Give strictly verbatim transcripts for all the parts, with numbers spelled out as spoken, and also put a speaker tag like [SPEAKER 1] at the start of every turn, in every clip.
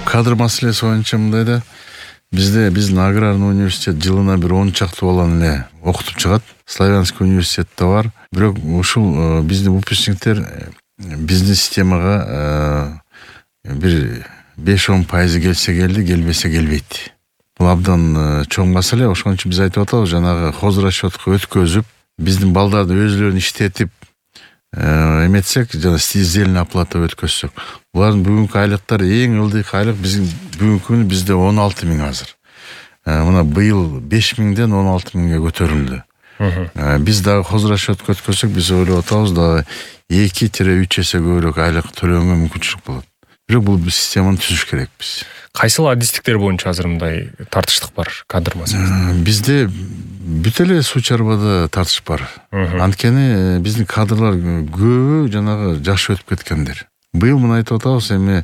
[SPEAKER 1] кадр маселеси боюнча мындай да, бизде биздин аграрный университет жылына бир он чакты баланы эле окутуп чыгат. Славянский университетте бар. Бирок ушул биздин выпускниктер биздин системага бир беш он пайызы келсе келди, келбесе келбейт. Бул абдан чоң маселе. Ошон үчүн биз айтып атабыз, жанагы хозрасчетко өткөзүп, биздин балдарды өзүлөрүн иштетип эметсек, жана издельный оплата өткөзсөк, булардын бүгүнкү айлыктары эң ылдыйкы айлык биздин бүгүнкү күнү бизде он алты миң азыр. Мына быйыл беш миңден он алты миңге көтөрүлдү. Биз дагы хозрасчетко өткөзсөк, биз ойлоп атабыз дагы эки үч эсе көбүрөөк айлык төлөөнгө мүмкүнчүлүк болот. Бирок бул системаны түзүш керекпиз.
[SPEAKER 2] Кайсыл адистиктер боюнча азыр мындай тартыштык бар кадр маселесинде?
[SPEAKER 1] Бизде бүт эле суу чарбада тартыш бар. Анткени биздин кадрлар көбү жанагы жашы өтүп кеткендер. Быйыл мына айтып атабыз, эми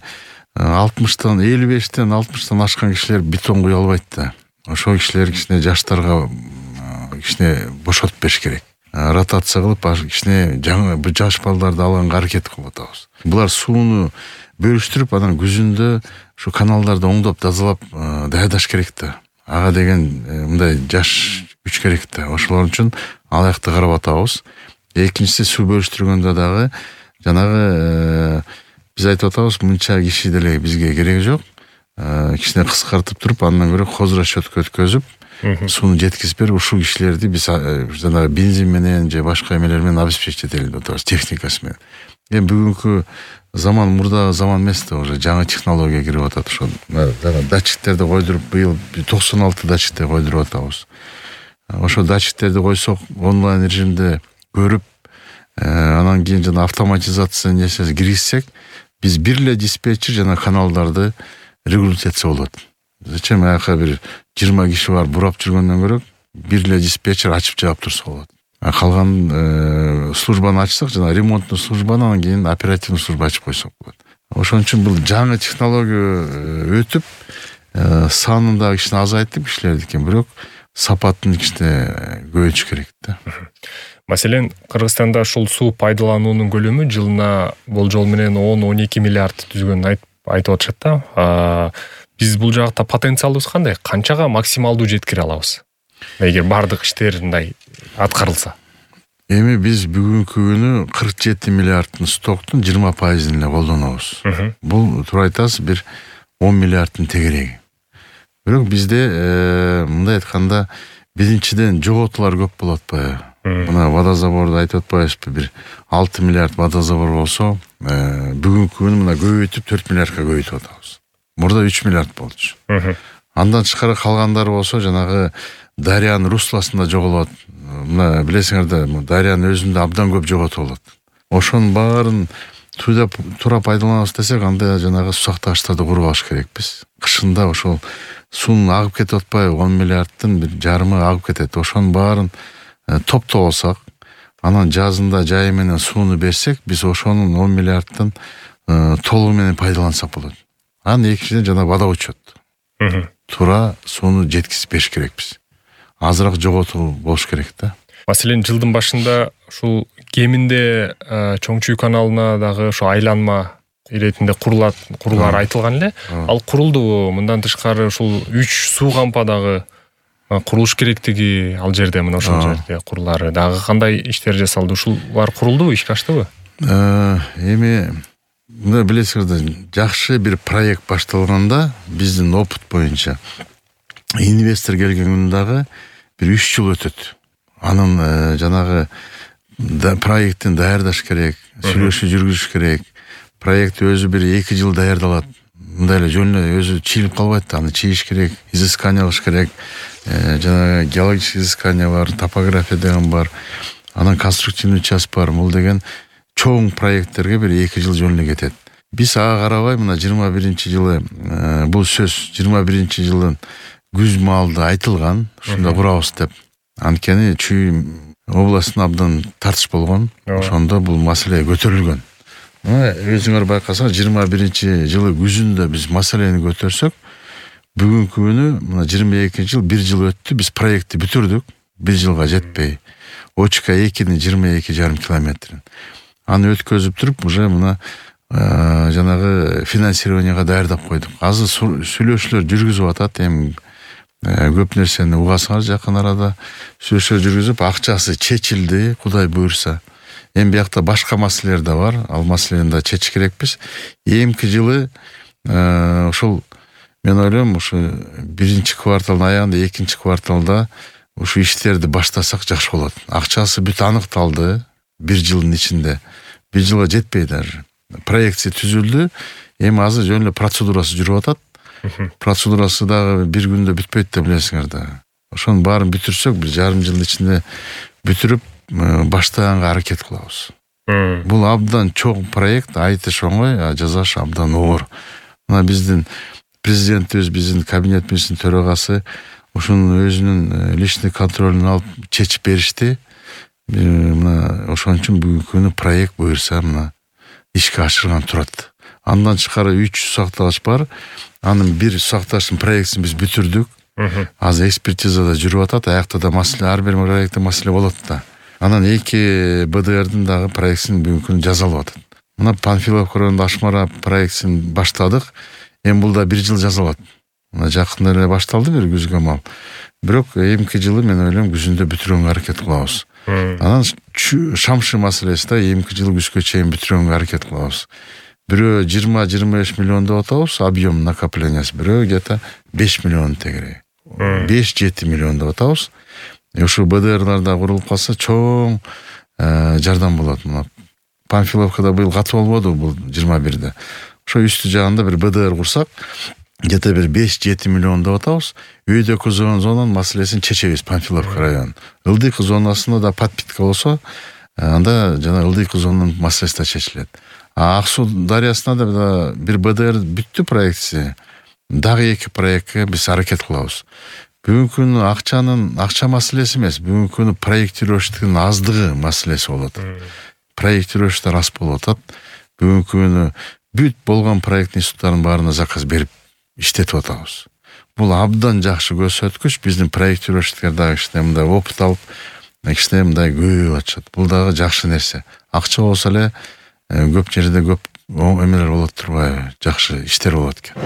[SPEAKER 1] алтымыштан элүү бештен алтымыштан ашкан кишилер бетон куя албайт да. Ошол кишилер кичине жаштарга кичине бошотуп бериш керек. Ротация кылып, кичине жаңы бир жаш балдарды алганга аракет кылып атабыз. Булар сууну бөлүштүрүп, анан күзүндө ушу каналдарды оңдоп, тазалап даярдаш керек да. Ага деген мындай жаш күч керек да. Ошолор үчүн алакты карап атабыз. Экинчиси, суу бөлүштүргөндө дагы жанагы биз айтып атабыз, мынча киши деле бизге кереги жок. Кичине кыскартып туруп, андан көрө хозрасчетко өткөзүп, сууну жеткизип берип, ушул кишилерди биз жанагы бензин менен же башка эмелер менен обеспечить этели деп атабыз, техникасы менен. Эми бүгүнкү заман мурда заман эмес да, уже жаңы технология кирип атат. Ошо датчиктерди койдуруп, быйыл токсон алты датчикти койдуруп атабыз. Ошо датчиктерди койсок, онлайн режимде көрүп, анан кийин жана автоматизация несеси киргизсек, биз бир эле диспетчер жана каналдарды регулировать этсе болот. Зачем аяка бир жыйырма киши бар бурап жүргөндөн көрө, бир эле диспетчер ачып жаап турса болот. Калган службаны ачсак, жана ремонттуу службаны, анан кийин оперативный служба ачып койсок болот. Ошон үчүн бул жаңы технология өтүп, санын да кичине азайтып кишилердики, бирок сапатын кичине көбөйтүш керек да.
[SPEAKER 2] Маселен, Кыргызстанда ушул суу пайдалануунун көлөмү жылына болжол менен он он эки миллиард түзгөнүн айтып атышат да. Биз бул жакта потенциалыбыз кандай? Канчага максималдуу жеткире алабыз? Эгер бардык иштер мындай аткарылса.
[SPEAKER 1] Эми биз бүгүнкү күнү кырк жети миллиардтын стоктун жыйырма пайызын эле колдонобуз. Бул туура айтасыз, бир он миллиардтын тегереги. Бирок бизде мындай айтканда биринчиден жоготуулар көп болуп атпайбы? Мына водозаборду айтып атпайбызбы, бир алты миллиард водозабор болсо, бүгүнкү күнү мына көбөйтүп төрт миллиардка көбөйтүп атабыз. Мурда үч миллиард болчу. Андан тышкары калгандары болсо, жанагы дарыянын русласында жоголот. Мына билесиңер да, дарыянын өзүндө абдан көп жоготуу болот. Ошонун баарын туура пайдаланабыз десек, анда жанагы сусактагычтарды куруп алыш керекпиз. Кышында ошол суунун агып кетип атпайбы, он миллиардтын бир жарымы агып кетет. Ошонун баарын топтоп алсак, анан жазында жайы менен сууну берсек, биз ошонун он миллиардтын толугу менен пайдалансак болот. Анан экинчиден жана водоучет. Туура сууну жеткизип бериш керекпиз. Азыраак жоготуу болуш керек да.
[SPEAKER 2] Маселен, жылдын башында ушул кеминде Чоңчуй каналына дагы ошо айланма иретинде курулат, курулар айтылган эле. Ал курулдубу? Мындан тышкары ушул үч суу кампадагы курулуш керектиги, ал жерде, мына ошол жерде курулары дагы кандай иштер жасалды? Ушулар курулдубу, ишке аштыбы?
[SPEAKER 1] Эми мына билесиңер да, жакшы бир проект башталганда, биздин опыт боюнча инвестор келген күндө дагы бир үч жыл өтөт. Анын жанагы проекттин даярдаш керек, сүйлөшүү жүргүзүш керек. Проект өзү бир эки жыл даярдалат. Мындай эле жөн эле өзү чийилип калбайт да, аны чийиш керек, изыскание кылыш керек. Жанагы геологический изыскание бар, топография деген бар. Анан конструктивный часть бар. Бул деген чоң проекттерге бир эки жыл жөн эле кетет. Биз ага карабай, мына жыйырма биринчи жылы бул сөз жыйырма биринчи жылдын күз маалда айтылган, ушунда курабыз деп. Анткени Чүй областына абдан тартыш болгон. Ошондо бул маселе көтөрүлгөн. Өзүңөр байкасаңар, жыйырма биринчи жылы күзүндө биз маселени көтөрсөк, бүгүнкү күнү мына жыйырма экинчи жыл бир жыл өттү, биз проектти бүтүрдүк, бир жылга жетпей. Очка экинин жыйырма эки жарым километрин. Аны өткөзүп туруп, уже мына жанагы финансированияга даярдап койдук. Азыр сүйлөшүүлөр жүргүзүп атат. Эми көп нерсени угасыңар жакын арада. Сүйлөшүүлөр жүргүзүп, акчасы чечилди, Кудай буйрса. Эми биякта башка маселелер да бар. Ал маселени да чечиш керекпиз. Эмки жылы ошол мен ойлойм, ушу биринчи кварталдын аягында, экинчи кварталда ушу иштерди баштасак жакшы болот. Акчасы бүт аныкталды бир жылдын ичинде. Бир жылга жетпей даже. Проекция түзүлдү. Эми азыр жөн эле процедурасы жүрүп атат. Процедурасы дагы бир күндө бүтпөйт деп билесиңер да. Ошонун баарын бүтүрсөк, бир жарым жылдын ичинде бүтүрүп баштаганга аракет кылабыз. Бул абдан чоң проект, айтыш оңой, а жасаш абдан оор. Мына биздин президентибиз, биздин кабинет министринин төрагасы ушунун өзүнүн личный контролун алып чечип беришти. Мына ошон үчүн бүгүнкү күнү проект буйрса мына ишке ашырган турат. Андан тышкары үч сактагыч бар. Анын бир сактагычтын проектин биз бүтүрдүк. Азыр экспертизада жүрүп атат. Аякта да маселе, ар бир проектте маселе болот да. Анан эки бэ дэ эрдин дагы проектин бүгүнкү күнү жазалып атат. Мына Панфиловка районунда Ашмара проектин баштадык. Эми бул да бир жыл жазалат. Мына жакында эле башталды бир күзгө мал. Бирок эмки жылы мен ойлойм күзүндө бүтүрүүгө аракет кылабыз. Анан Шамшы маселеси да эмки жыл күзгө чейин бүтүрүүгө аракет кылабыз. Бирөө жыйырма жыйырма беш миллион деп атабыз, объем накоплениясы. Бирөө где-то беш миллион тегере. беш жети миллион деп атабыз. Ушу бэ дэ эрларда курулуп калса чоң жардам болот. Мына Панфиловкада быйыл катып болбоду бул жыйырма бирде. Ошо үстү жагында бир бэ дэ эр курсак, где-то бир беш жети миллион деп атабыз. Үйдөкү зонанын маселесин чечебиз Панфиловка району. Ылдыйкы зонасында да подпитка болсо, анда жана ылдыйкы зонанын маселеси да чечилет. А Ак Суу дарыясында да бир бэ дэ эр бүттү проекти. Дагы эки проектке биз аракет кылабыз. Бүгүнкү күнү акчанын акча маселеси эмес, бүгүнкү күнү проектировщиктин аздыгы маселеси болот. Проектировщиктер аз болуп атат. Бүгүнкү күнү бүт болгон проект институттарынын баарына заказ берип иштетип атабыз. Бул абдан жакшы көрсөткүч. Биздин проектировщиктер дагы кичине мындай опыт алып, кичине мындай көбөйүп атышат. Бул дагы жакшы нерсе. Акча болсо эле көп жерде көп эмелер болот турбайбы? Жакшы иштер болот экен.